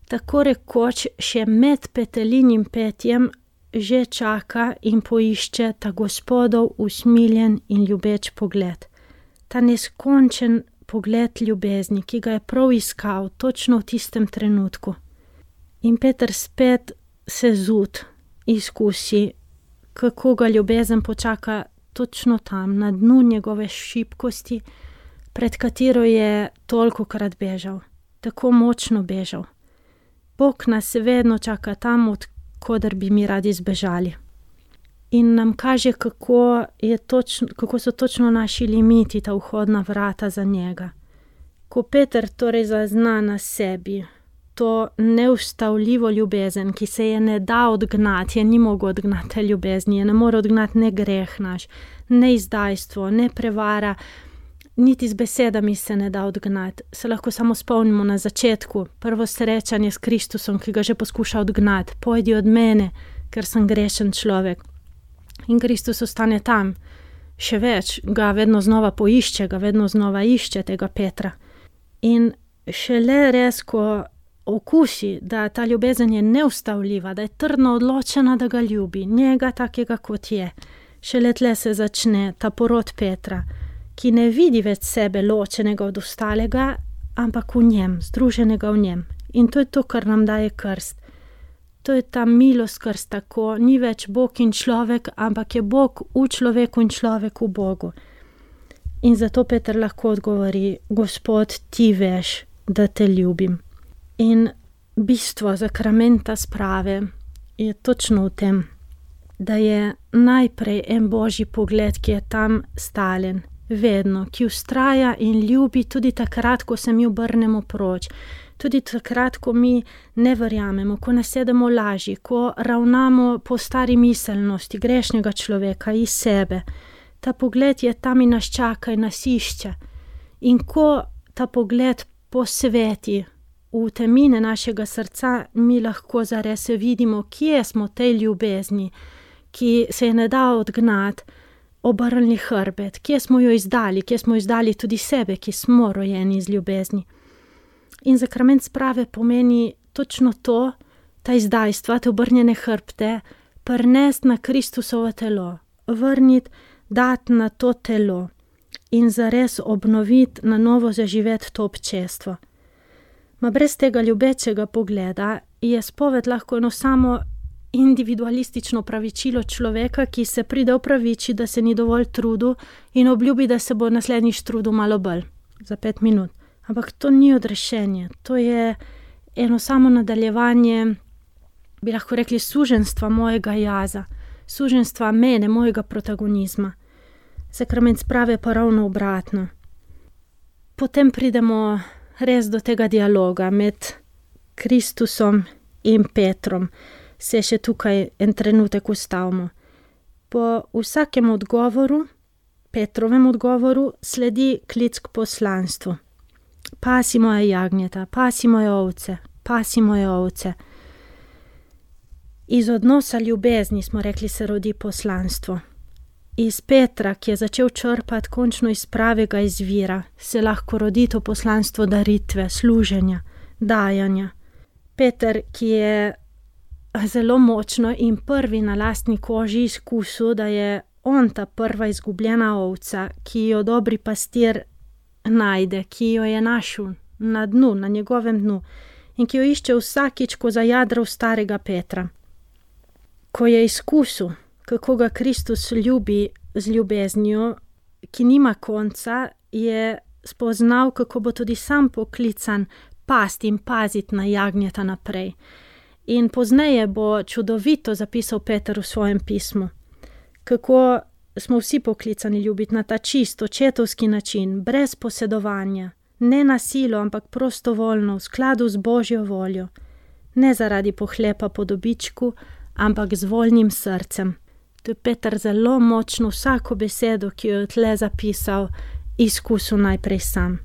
tako rekoč še med petelinim petjem že čaka in poišče ta Gospodov usmiljen in ljubeč pogled. Ta neskončen pogled ljubezni, ki ga je prav iskal točno v tistem trenutku. In Peter spet se izkusi, kako ga ljubezen počaka točno tam, na dnu njegove šibkosti, pred katero je tolikokrat bežal, tako močno bežal. Bog nas vedno čaka tam, od koder bi mi radi zbežali. in nam kaže, kako so točno naši limiti, ta vhodna vrata za njega. Ko Peter torej zazna na sebi to neustavljivo ljubezen, ki se je ne da odgnati, je ni mogel odgnati te ljubezni, je ne more odgnati ne greh naš, ne izdajstvo, ne prevara, niti z besedami se ne da odgnati. Se lahko samo spomnimo na začetku, prvo srečanje s Kristusom, ki ga že poskuša odgnati. Pojdi od mene, ker sem grešen človek. In Kristus ostane tam. Še več, ga vedno znova poišče, ga vedno znova išče tega Petra. In šele res, ko okusi, da ta ljubezen je neustavljiva, da je trdno odločena, da ga ljubi, njega takega, kot je. Šele tle se začne ta porod Petra, ki ne vidi več sebe ločenega od ostalega, ampak v njem, združenega v njem. In to je to, kar nam daje krst. To je ta milost krsta, ko ni več Bog in človek, ampak je Bog v človeku in človek v Bogu. In zato Peter lahko odgovori: Gospod, ti veš, da te ljubim. In bistvo sakramenta sprave je točno v tem, da je najprej en božji pogled, ki je tam stalen, vedno, ki vztraja in ljubi tudi takrat, ko se mi obrnemo proč, tudi takrat, ko mi ne verjamemo, ko nasedemo laži, ko ravnamo po stari miselnosti grešnega človeka iz sebe. Ta pogled je tam in nas čaka in nas išče. In ko ta pogled posveti v temine našega srca, mi lahko zares vidimo, kje smo tej ljubezni, ki se je ne da odgnati, obrnili hrbet, kje smo jo izdali tudi sebe, ki smo rojeni iz ljubezni. In sakrament sprave pomeni točno to, ta izdajstva, te obrnjene hrbte, prinesti na Kristusovo telo, vrniti, dati na to telo in zares obnoviti, na novo zaživeti to občestvo. Ma brez tega ljubečega pogleda je spoved lahko eno samo individualistično opravičilo človeka, ki se pride opraviči, da se ni dovolj trudil in obljubi, da se bo naslednjič trudil malo bolj, za 5 minut. Ampak to ni odrešenje, to je eno samo nadaljevanje, bi lahko rekli, suženjstva mojega jaza, suženjstva mene, mojega protagonizma. Sakrament sprave pa ravno obratno. Potem pridemo res do tega dialoga med Kristusom in Petrom. Se še tukaj en trenutek ustavimo. Po vsakem odgovoru, Petrovem odgovoru, sledi klic k poslanstvu. Pasi moje jagnjeta, pasi moje ovce, pasi moje ovce. Iz odnosa ljubezni, smo rekli, se rodi poslanstvo. Iz Petra, ki je začel črpati končno iz pravega izvira, se lahko rodi to poslanstvo daritve, služenja, dajanja. Peter, ki je zelo močno in prvi na lastni koži izkusil, da je on ta prva izgubljena ovca, ki jo dobri pastir najde, ki jo je našel na dnu, na njegovem dnu in ki jo išče vsakič, ko zajadra v starega Petra. Ko je izkusil, kako ga Kristus ljubi z ljubeznijo, ki nima konca, je spoznal, kako bo tudi sam poklican pasti in paziti na jagnjeta naprej. In pozneje bo čudovito zapisal Peter v svojem pismu, kako smo vsi poklicani ljubiti na ta čist, očetovski način, brez posedovanja, ne na silo, ampak prostovoljno, v skladu z Božjo voljo, ne zaradi pohlepa po dobičku, ampak z voljnim srcem. To je Peter zelo močno vsako besedo, ki jo je tle zapisal, izkusil najprej sam.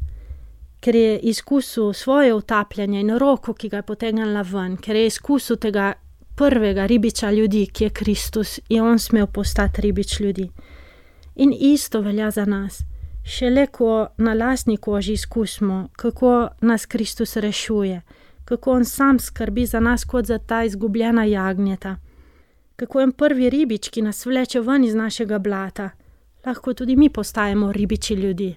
Ker je izkusil svoje utapljanje in roko, ki ga je potegnila ven, ker je izkusil tega prvega ribiča ljudi, ki je Kristus, je on smel postati ribič ljudi. In isto velja za nas. Šele ko na lastni koži izkusimo, kako nas Kristus rešuje, kako on sam skrbi za nas kot za ta izgubljena jagnjeta, kako je prvi ribič, ki nas vleče ven iz našega blata, lahko tudi mi postajamo ribiči ljudi,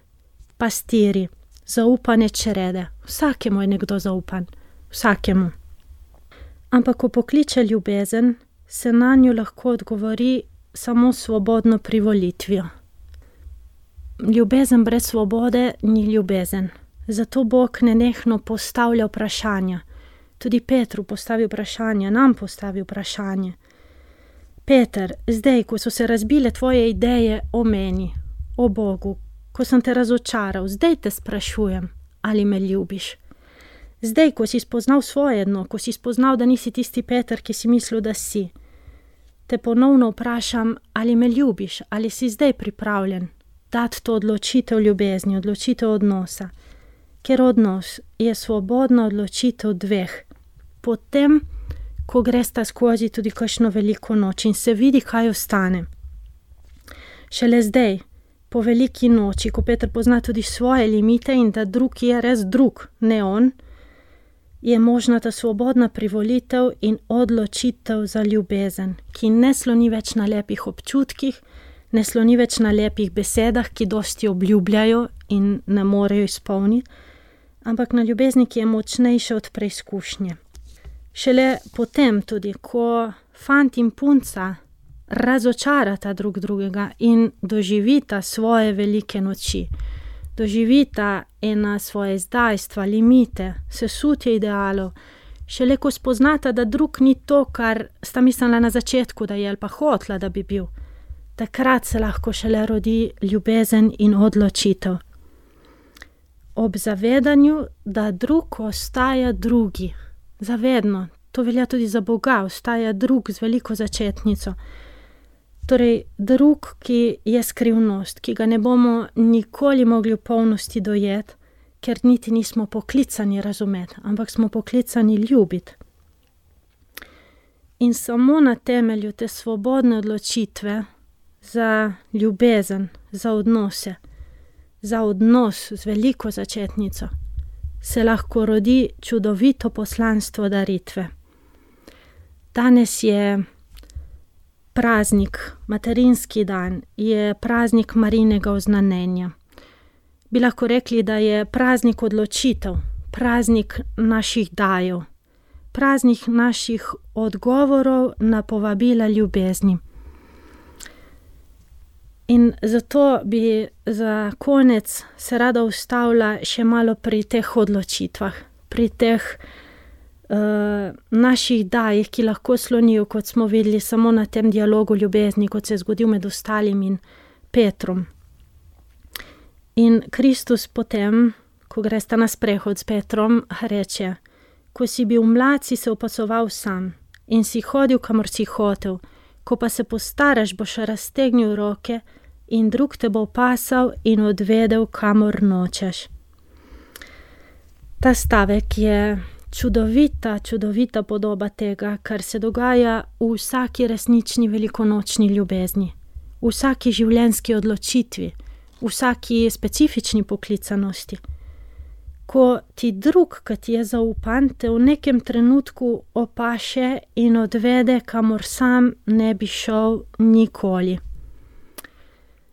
pastiri, zaupane črede. Vsakemu je nekdo zaupan, vsakemu. Ampak ko pokliče ljubezen, se na njo lahko odgovori samo svobodno privolitvijo. Ljubezen brez svobode ni ljubezen. Zato Bog nenehno postavlja vprašanja. Tudi Petru postavi vprašanje, nam postavi vprašanje. Peter, zdaj, ko so se razbile tvoje ideje o meni, o Bogu, ko sem te razočaral, zdaj te sprašujem, ali me ljubiš. Zdaj, ko si spoznal svoje dno, ko si spoznal, da nisi tisti Peter, ki si mislil, da si, te ponovno vprašam, ali me ljubiš, ali si zdaj pripravljen dati to odločitev ljubezni, odločitev odnosa. Ker odnos je svobodna odločitev dveh. Potem, ko gresta skozi tudi kakšno veliko noč in se vidi, kaj ostane. Šele zdaj, po veliki noči, ko Peter pozna tudi svoje limite in da drug je res drug, ne on, je možna ta svobodna privolitev in odločitev za ljubezen, ki ne sloni več na lepih občutkih, ne sloni več na lepih besedah, ki dosti obljubljajo in ne morejo izpolniti, ampak na ljubezni, ki je močnejša od preizkušnje. Šele potem tudi, ko fant in punca razočarata drug drugega in doživita svoje velike noči, doživita ena svoje zdajstva, limite, sesutje idealov, šele ko spoznata, da drug ni to, kar sta mislila na začetku, da je ali pa hotla, da bi bil. Takrat se lahko šele rodi ljubezen in odločitev. Ob zavedanju, da drug ostaja drugi. Zavedno. To velja tudi za Boga, ostaja drug z veliko začetnico. Torej, drug, ki je skrivnost, ki ga ne bomo nikoli mogli v polnosti dojeti, ker niti nismo poklicani razumeti, ampak smo poklicani ljubiti. In samo na temelju te svobodne odločitve za ljubezen, za odnose, za odnos z veliko začetnico, se lahko rodi čudovito poslanstvo daritve. Danes je praznik, materinski dan, je praznik Marijinega oznanjenja. Bi lahko rekli, da je praznik odločitev, praznik naših dajev, praznik naših odgovorov na povabila ljubezni. In zato bi za konec se rada ustavila še malo pri teh odločitvah, pri teh naših dajih, ki lahko slonijo, kot smo videli, samo na tem dialogu ljubezni, kot se je zgodil med ostalim in Petrom. In Kristus potem, ko gresta na sprehod s Petrom, reče: ko si bil mlad, si se opasoval sam in si hodil, kamor si hotel, ko pa se postaraš, boš raztegnil roke in drug te bo opasal in odvedel, kamor nočeš. Ta stavek je čudovita podoba tega, kar se dogaja v vsaki resnični velikonočni ljubezni, v vsaki življenjski odločitvi, v vsaki specifični poklicanosti. Ko ti drug, ki ti je zaupan, te v nekem trenutku opaše in odvede, kamor sam ne bi šel nikoli.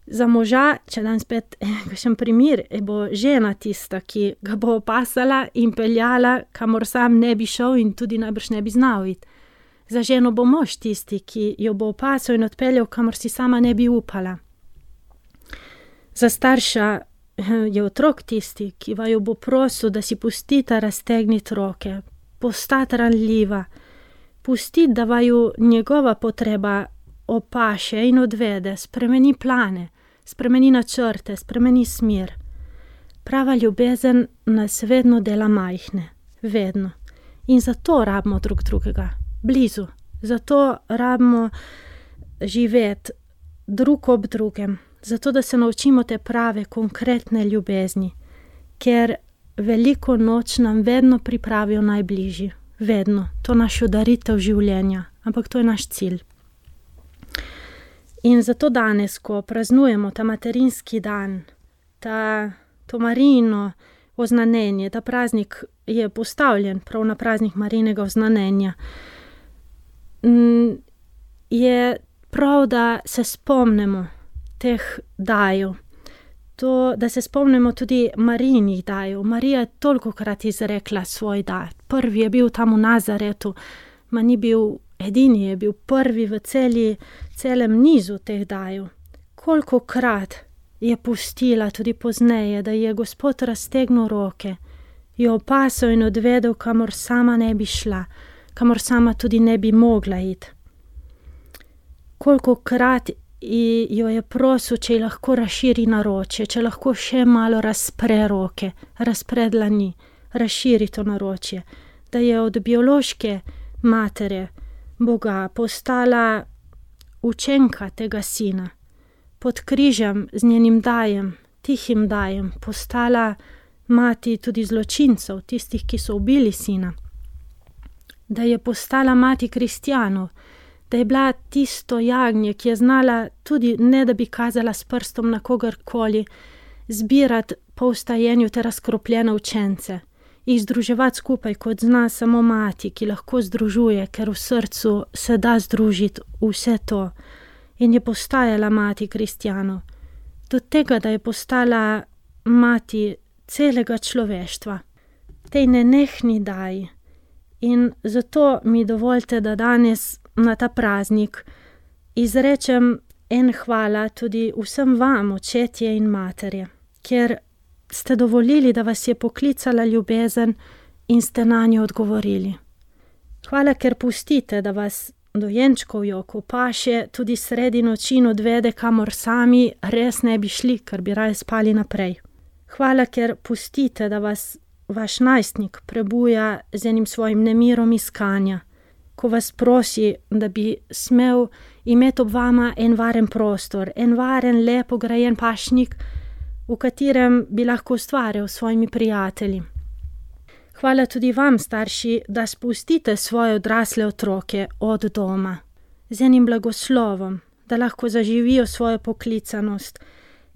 Za moža, če dan spet kakšen primer, bo žena tista, ki ga bo opasala in peljala, kamor sam ne bi šel in tudi najbrž ne bi znal iti. Za ženo bo mož tisti, ki jo bo opasal in odpeljal, kamor si sama ne bi upala. Za starša je otrok tisti, ki vaju bo prosil, da si pustita raztegniti roke, postati ranljiva, pustiti, da vaju njegova potreba opaše in odvede, spremeni plane, spremeni načrte, spremeni smer. Prava ljubezen nas vedno dela majhne, vedno. In zato rabimo drug drugega, blizu. Zato rabimo živeti drug ob drugem, zato da se naučimo te prave, konkretne ljubezni, ker veliko noč nam vedno pripravijo najbližji, vedno. To je naš daritev življenja, ampak to je naš cilj. In zato danes, ko praznujemo ta materinski dan, to Marijino oznanjenje, ta praznik je postavljen prav na praznik Marijinega oznanjenja, je prav, da se spomnimo teh dajev. To, da se spomnimo tudi Marijinih dajev. Marija je tolikokrat izrekla svoj dar. Prvi je bil tam v Nazaretu, ma ni bil edini, je bil prvi v celem nizu teh dajev. Kolikokrat je pustila tudi pozneje, da je Gospod raztegnil roke, jo opasal in odvedel, kamor sama ne bi šla, kamor sama tudi ne bi mogla iti. kolikokrat jo je prosil, če ji lahko razširi naročje, če lahko še malo razpre roke, razpre dlani, razširi to naročje, da je od biološke matere Boga postala učenka tega sina, pod križem z njenim dajem, tihim dajem, postala mati tudi zločincev, tistih, ki so ubili sina, da je postala mati kristjanov, da je bila tisto jagnje, ki je znala tudi, ne da bi kazala s prstom na kogarkoli, zbirati po vstajenju te razkropljene učence, jih združevati skupaj, kot zna samo mati, ki lahko združuje, ker v srcu se da združiti vse to. In je postajala mati kristjanov. Do tega, da je postala mati celega človeštva, tej nenehni daji. In zato mi dovolite, da danes na ta praznik izrečem en hvala tudi vsem vam, očetje in materje, ker ste dovolili, da vas je poklicala ljubezen in ste na njo odgovorili. Hvala, ker pustite, da vas dojenčkov joko paše tudi sredi noči odvede, kamor sami res ne bi šli, ker bi raje spali naprej. Hvala, ker pustite, da vas vaš najstnik prebuja z enim svojim nemirom iskanja, ko vas prosi, da bi smel imeti ob vama en varen prostor, en varen, lepo grajen pašnik, v katerem bi lahko ustvarjal s svojimi prijatelji. Hvala tudi vam, starši, da spustite svoje odrasle otroke od doma, z enim blagoslovom, da lahko zaživijo svojo poklicanost,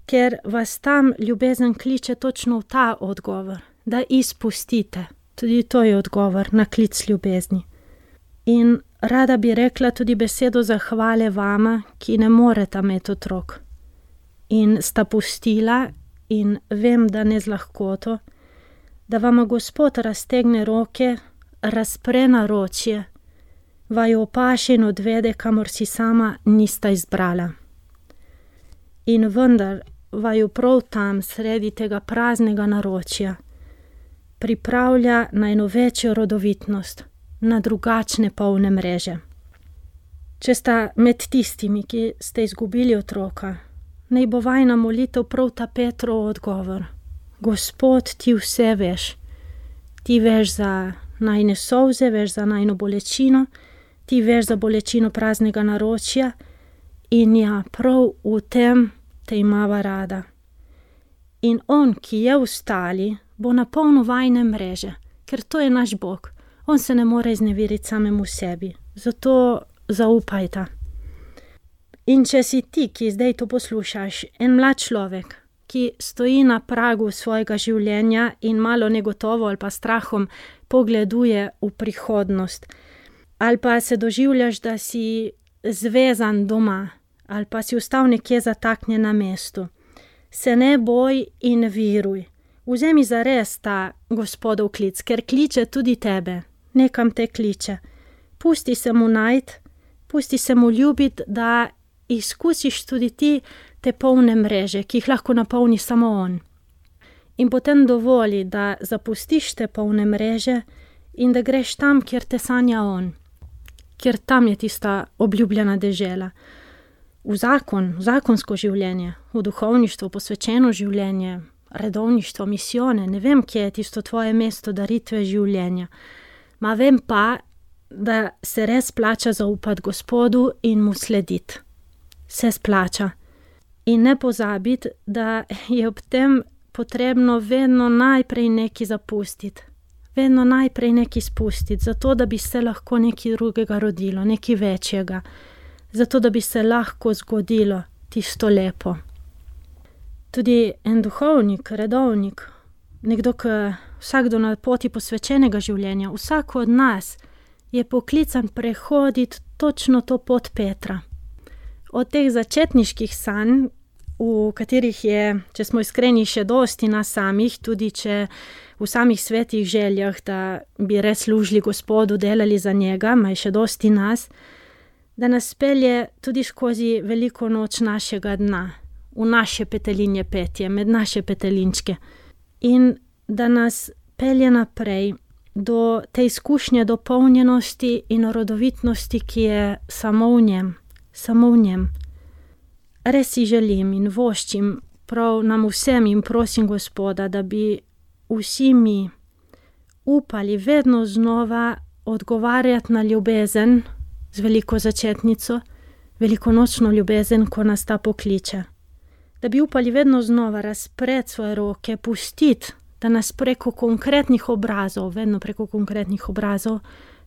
ker vas tam ljubezen kliče točno v ta odgovor, da izpustite. Tudi to je odgovor na klic ljubezni. In rada bi rekla tudi besedo zahvale vama, ki ne moreta imeti otrok. In sta pustila, in vem, da ne z lahkoto, da vama Gospod raztegne roke, razpre naročje, vaju opaše in odvede, kamor si sama nista izbrala. In vendar vaju prav tam, sredi tega praznega naročja, pripravlja na eno večjo rodovitnost, na drugačne polne mreže. Če sta med tistimi, ki ste izgubili otroka, naj bo vajna molitev prav ta Petrov odgovor. Gospod, ti vse veš. Ti veš za najine solze, veš za najino bolečino, ti veš za bolečino praznega naročja in ja, prav v tem te imava rada. In on, ki je vstali, bo napolnil vajne mreže, ker to je naš Bog. On se ne more izneveriti samemu sebi. Zato zaupajta. In če si ti, ki zdaj to poslušaš, en mlad človek, ki stoji na pragu svojega življenja in malo negotovo ali pa strahom pogleduje v prihodnost, ali pa se doživljaš, da si zvezan doma, ali pa si ostal nekje zataknjen na mestu, se ne boj in viruj. Vzemi zares ta Gospodov klic, ker kliče tudi tebe, nekam te kliče. Pusti se mu najti, pusti se mu ljubiti, da izkusiš tudi ti te polne mreže, ki jih lahko napolni samo on. In potem dovoli, da zapustiš te polne mreže in da greš tam, kjer te sanja on. Ker tam je tista obljubljena dežela. V zakonsko življenje, v duhovništvo, posvečeno življenje, redovništvo, misijone, ne vem, kje je tisto tvoje mesto daritve življenja. Ma vem pa, da se res plača zaupati Gospodu in mu slediti. Se splača. In ne pozabiti, da je ob tem potrebno vedno najprej nekaj zapustiti. Vedno najprej nekaj spustiti, zato da bi se lahko nekaj drugega rodilo, nekaj večjega. Zato da bi se lahko zgodilo tisto lepo. Tudi en duhovnik, redovnik, nekdo, ki vsakdo na poti posvečenega življenja, vsak od nas je poklican prehoditi točno to pot Petra. Od teh začetniških sanj, v katerih je, če smo iskreni, še dosti nas samih, tudi če v samih svetih željah, da bi res služili Gospodu, delali za njega, ma je še dosti nas, da nas pelje tudi skozi veliko noč našega dna, v naše petelinje petje, med naše petelinčke. In da nas pelje naprej do te izkušnje dopolnjenosti in rodovitnosti, ki je samo v njem. samo v njem. Res si želim in voščim prav nam vsem in prosim Gospoda, da bi vsi mi upali vedno znova odgovarjati na ljubezen z veliko začetnico, velikonočno ljubezen, ko nas ta pokliče. Da bi upali vedno znova razpreti svoje roke, pustiti, da nas preko konkretnih obrazov, vedno preko konkretnih obrazov,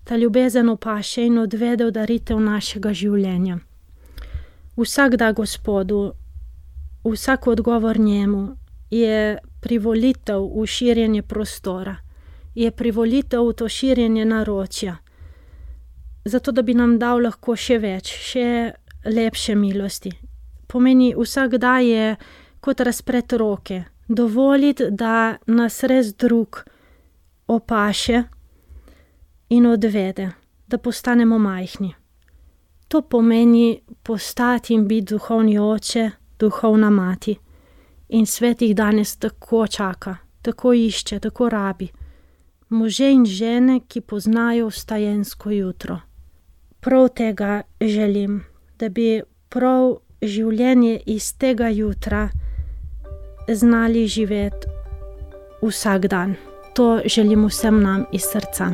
ta ljubezen opaše in odvede v daritev našega življenja. Vsak da Gospodu, vsak odgovor njemu je privolitev v širjenje prostora, je privolitev v to širjenje naročja, zato da bi nam dal lahko še več, še lepše milosti. Pomeni, vsak da je kot razpreti roke, dovoliti, da nas res drug opaše in odvede, da postanemo majhni. To pomeni postati in biti duhovni oče, duhovna mati. In svet jih danes tako čaka, tako išče, tako rabi. Može in žene, ki poznajo vstajensko jutro. Prav tega želim, da bi prav življenje iz tega jutra znali živeti vsak dan. To želim vsem nam iz srca.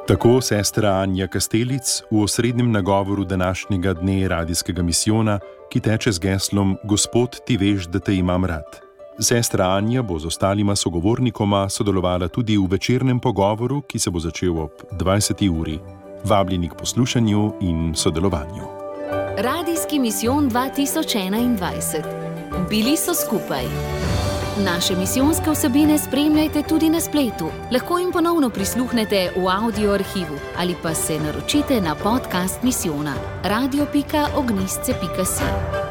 Tako sestra Anja Kastelic v osrednjem nagovoru današnjega dne radijskega misijona, ki teče z geslom Gospod, ti veš, da te imam rad. Sestra Anja bo z ostalima sogovornikoma sodelovala tudi v večernem pogovoru, ki se bo začel ob 20. uri. Vabljeni k poslušanju in sodelovanju. Radijski misijon 2021. Bili so skupaj. Naše misijonske vsebine spremljajte tudi na spletu. Lahko jim ponovno prisluhnete v audio arhivu ali pa se naročite na podcast misijona radio.ognistce.si.